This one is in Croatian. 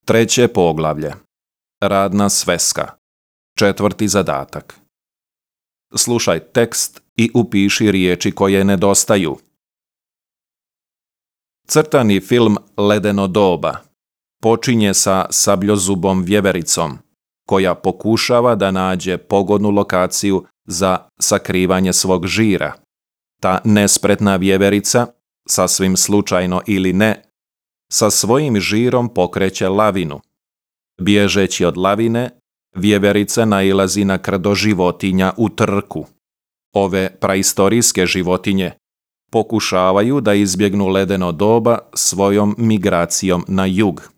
Treće poglavlje. Radna sveska. Četvrti zadatak. Slušaj tekst i upiši riječi koje nedostaju. Crtani film Ledeno doba počinje sa sabljozubom vjevericom, koja pokušava da nađe pogodnu lokaciju za sakrivanje svog žira. Ta nespretna vjeverica, sasvim slučajno ili ne, sa svojim žirom pokreće lavinu. Bježeći od lavine, vjeverica nailazi na krdo životinja u trku. Ove praistorijske životinje pokušavaju da izbjegnu ledeno doba svojom migracijom na jug.